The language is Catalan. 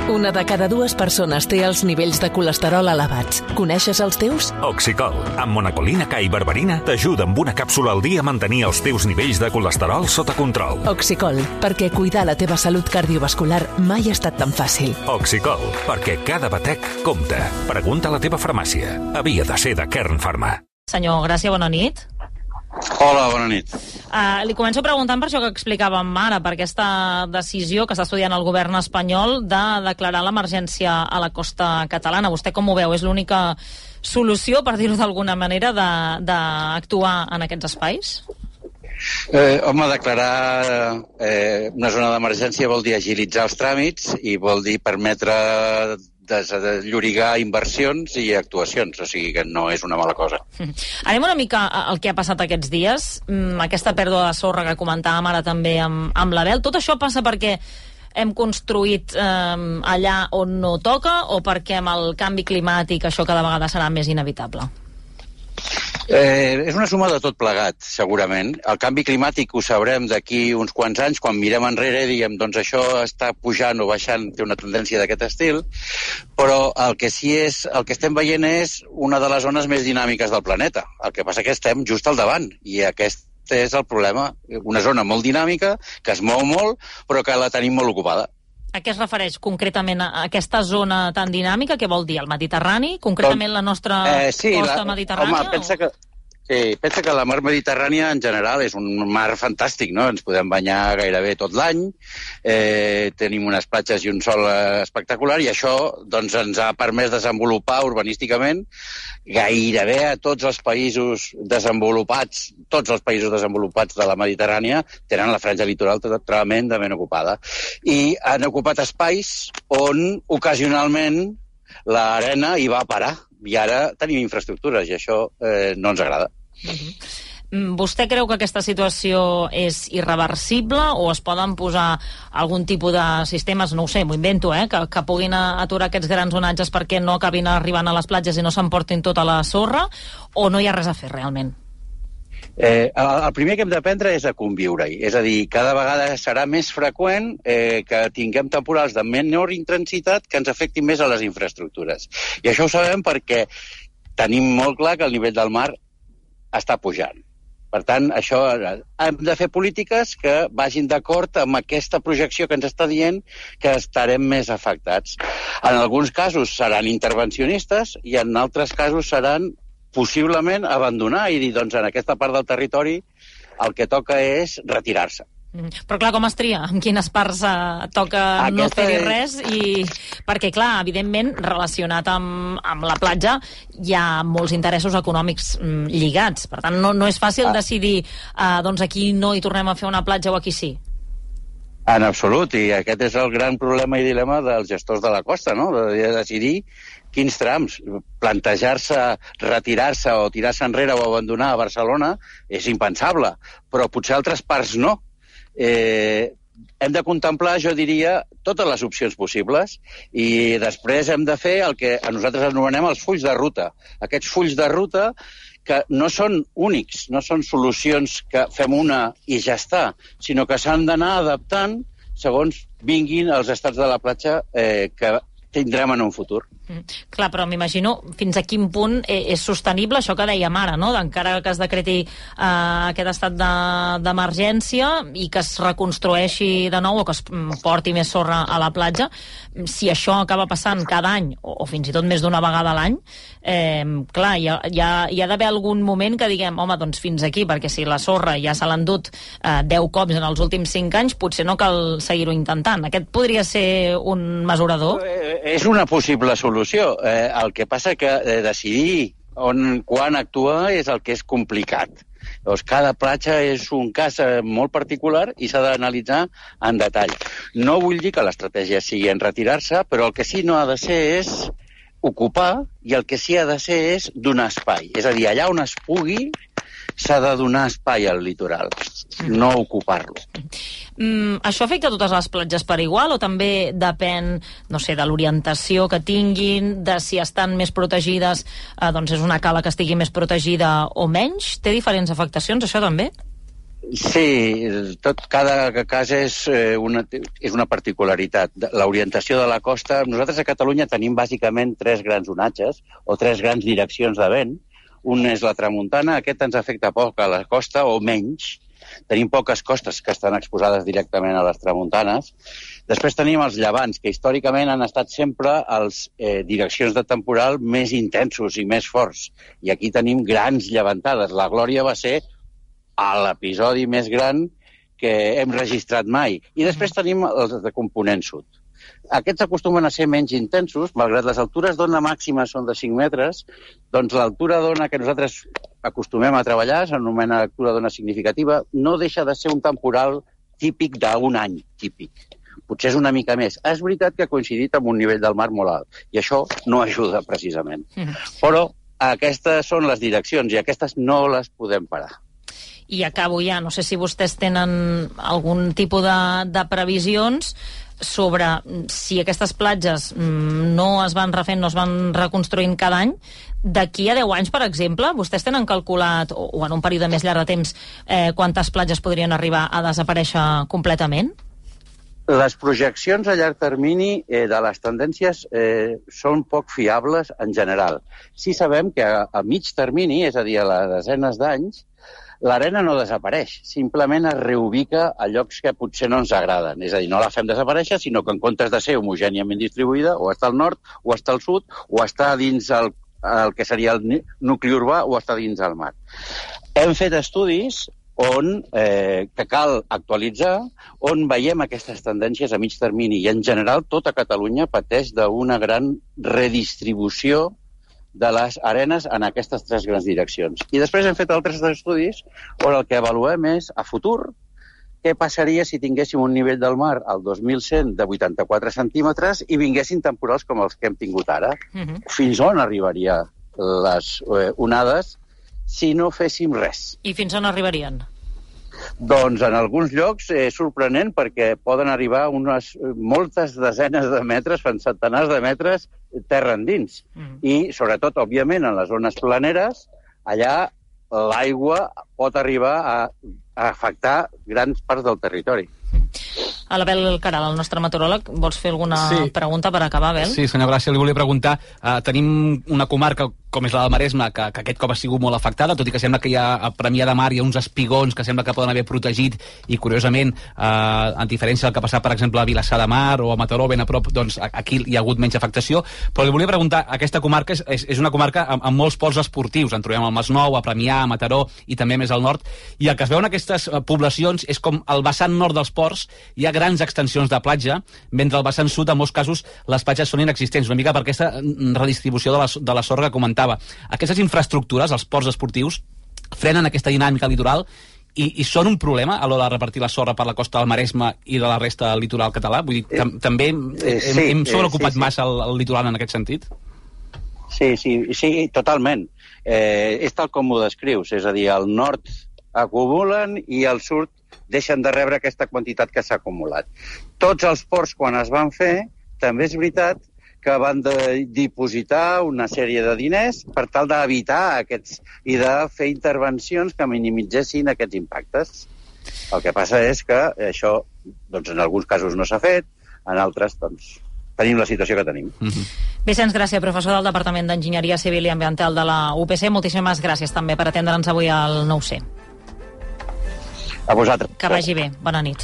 Una de cada dues persones té els nivells de colesterol elevats. Coneixes els teus? Oxicol, amb monacolina K i berberina, t'ajuda amb una càpsula al dia a mantenir els teus nivells de colesterol sota control. Oxicol, perquè cuidar la teva salut cardiovascular mai ha estat tan fàcil. Oxicol, perquè cada batec compta. Pregunta a la teva farmàcia. Havia de ser de Kern Pharma. Senyor Gràcia, bona nit. Hola, bona nit. Li començo preguntant per això que explicàvem ara, per aquesta decisió que està estudiant el govern espanyol de declarar l'emergència a la costa catalana. Vostè com ho veu? És l'única solució, per dir-ho d'alguna manera, d'actuar en aquests espais? Home, declarar una zona d'emergència vol dir agilitzar els tràmits i vol dir permetre desllorigar inversions i actuacions, o sigui que no és una mala cosa. Anem una mica al que ha passat aquests dies, aquesta pèrdua de sorra que comentàvem ara també amb l'Abel. Tot això passa perquè hem construït allà on no toca o perquè amb el canvi climàtic això cada vegada serà més inevitable? És una suma de tot plegat, segurament. El canvi climàtic ho sabrem d'aquí uns quants anys, quan mirem enrere i diem, doncs això està pujant o baixant, té una tendència d'aquest estil, però el que estem veient és una de les zones més dinàmiques del planeta. El que passa que estem just al davant, i aquest és el problema. Una zona molt dinàmica, que es mou molt, però que la tenim molt ocupada. A què es refereix concretament a aquesta zona tan dinàmica? Què vol dir? El Mediterrani? Concretament la nostra costa mediterrània? Home, pensa que la mar Mediterrània en general és un mar fantàstic, no? Ens podem banyar gairebé tot l'any, tenim unes platges i un sol espectacular, i això doncs, ens ha permès desenvolupar urbanísticament gairebé a tots els països desenvolupats. Tots els països desenvolupats de la Mediterrània tenen la franja litoral tremendament ocupada. I han ocupat espais on ocasionalment l'arena hi va parar. I ara tenim infraestructures, i això no ens agrada. Vostè creu que aquesta situació és irreversible o es poden posar algun tipus de sistemes, no ho sé, m'ho invento, que puguin aturar aquests grans onatges perquè no acabin arribant a les platges i no s'emportin tota la sorra, o no hi ha res a fer realment? El primer que hem d'aprendre és a conviure-hi. És a dir, cada vegada serà més freqüent que tinguem temporals de menor intensitat que ens afectin més a les infraestructures. I això ho sabem perquè tenim molt clar que el nivell del mar està pujant. Per tant, hem de fer polítiques que vagin d'acord amb aquesta projecció que ens està dient que estarem més afectats. En alguns casos seran intervencionistes i en altres casos seran possiblement abandonar i dir, doncs, en aquesta part del territori el que toca és retirar-se. Però clar, com es tria? En quines parts toca no fer-hi res? Perquè clar, evidentment, relacionat amb la platja hi ha molts interessos econòmics lligats. Per tant, no és fàcil decidir doncs aquí no hi tornem a fer una platja o aquí sí. En absolut, i aquest és el gran problema i dilema dels gestors de la costa, no? De decidir quins trams. Plantejar-se, retirar-se o tirar-se enrere o abandonar a Barcelona és impensable, però potser altres parts no. Hem de contemplar, jo diria, totes les opcions possibles i després hem de fer el que nosaltres anomenem els fulls de ruta. Aquests fulls de ruta que no són únics, no són solucions que fem una i ja està, sinó que s'han d'anar adaptant segons vinguin els estats de la platja que tindrem en un futur. Clar, però m'imagino fins a quin punt és sostenible això que dèiem ara, no? Encara que es decreti aquest estat d'emergència i que es reconstrueixi de nou o que es porti més sorra a la platja, si això acaba passant cada any o fins i tot més d'una vegada a l'any, clar, hi ha d'haver algun moment que diguem, home, doncs fins aquí, perquè si la sorra ja se l'ha endut 10 cops en els últims 5 anys, potser no cal seguir-ho intentant. Aquest podria ser un mesurador? És una possible solució. El que passa que decidir quan actuar és el que és complicat. Llavors, cada platja és un cas molt particular i s'ha d'analitzar en detall. No vull dir que l'estratègia sigui en retirar-se, però el que sí no ha de ser és ocupar i el que sí ha de ser és donar espai. És a dir, allà on es pugui s'ha de donar espai al litoral, no ocupar-lo. Això afecta a totes les platges per igual o també depèn, no sé, de l'orientació que tinguin, de si estan més protegides, doncs és una cala que estigui més protegida o menys? Té diferents afectacions, això també? Sí, cada cas és una particularitat. L'orientació de la costa... Nosaltres a Catalunya tenim bàsicament 3 grans onatges o 3 grans direccions de vent. Un és la tramuntana, aquest ens afecta poc a la costa o menys. Tenim poques costes que estan exposades directament a les tramuntanes. Després tenim els llevants, que històricament han estat sempre les direccions de temporal més intensos i més forts. I aquí tenim grans llevantades. La glòria va ser a l'episodi més gran que hem registrat mai. I després tenim els de component sud. Aquests acostumen a ser menys intensos, malgrat les altures d'ona màximes són de 5 metres, doncs l'altura d'ona que nosaltres acostumem a treballar, s'anomena altura d'ona significativa, no deixa de ser un temporal típic d'un any, típic. Potser és una mica més. És veritat que ha coincidit amb un nivell del mar molt alt, i això no ajuda precisament. Però aquestes són les direccions, i aquestes no les podem parar. I acabo ja, no sé si vostès tenen algun tipus de previsions sobre si aquestes platges no es van refent, no es van reconstruint cada any. D'aquí a 10 anys, per exemple, vostès tenen calculat, o en un període més llarg de temps, quantes platges podrien arribar a desaparèixer completament? Les projeccions a llarg termini de les tendències són poc fiables en general. Sí sabem que a mig termini, és a dir, a les desenes d'anys, l'arena no desapareix, simplement es reubica a llocs que potser no ens agraden. És a dir, no la fem desaparèixer, sinó que en comptes de ser homogèniament distribuïda, o està al nord, o està al sud, o està dins el que seria el nucli urbà, o està dins el mar. Hem fet estudis que cal actualitzar, on veiem aquestes tendències a mig termini, i en general tota Catalunya pateix d'una gran redistribució de les arenes en aquestes 3 grans direccions. I després hem fet altres estudis on el que avaluem és, a futur, què passaria si tinguéssim un nivell del mar al 2100 de 84 centímetres i vinguessin temporals com els que hem tingut ara. Fins on arribaria les onades si no féssim res? I fins on arribarien? Doncs en alguns llocs és sorprenent perquè poden arribar moltes desenes de metres, fins centenars de metres, terra endins. I, sobretot, òbviament, en les zones planeres, allà l'aigua pot arribar a afectar grans parts del territori. A l'Abel Caral, el nostre meteoròleg, vols fer alguna pregunta per acabar, Abel? Sí, senyor Gràcia, li volia preguntar. Tenim una comarca com és la del Maresme, que aquest cop ha sigut molt afectada, tot i que sembla que hi ha a Premià de Mar hi ha uns espigons que sembla que poden haver protegit, i curiosament, en diferència del que ha passat, per exemple, a Vilassar de Mar o a Mataró, ben a prop, doncs aquí hi ha hagut menys afectació. Però li volia preguntar, aquesta comarca és una comarca amb molts pols esportius, en trobem al Masnou, a Premià, a Mataró i també més al nord, i el que es veu en aquestes poblacions és com al vessant nord dels ports hi ha grans extensions de platja, mentre al vessant sud, en molts casos, les platges són inexistents, una mica per aquesta redistribució de la sorra que comentava. Aquestes infraestructures, els ports esportius, frenen aquesta dinàmica litoral i són un problema a l'hora de repartir la sorra per la costa del Maresme i de la resta del litoral català? Vull dir, també hem sobreocupat massa el litoral en aquest sentit? Sí, totalment. És tal com ho descrius, és a dir, al nord acumulen i al sud deixen de rebre aquesta quantitat que s'ha acumulat. Tots els ports, quan es van fer, també és veritat que van dipositar una sèrie de diners per tal d'evitar aquests i de fer intervencions que minimitzessin aquests impactes. El que passa és que això, doncs, en alguns casos no s'ha fet, en altres, doncs, tenim la situació que tenim. Vicenç Gràcia, professor del Departament d'Enginyeria Civil i Ambiental de la UPC, moltíssimes gràcies també per atendre'ns avui al 9C. A vosaltres. Que vagi bé. Bona nit.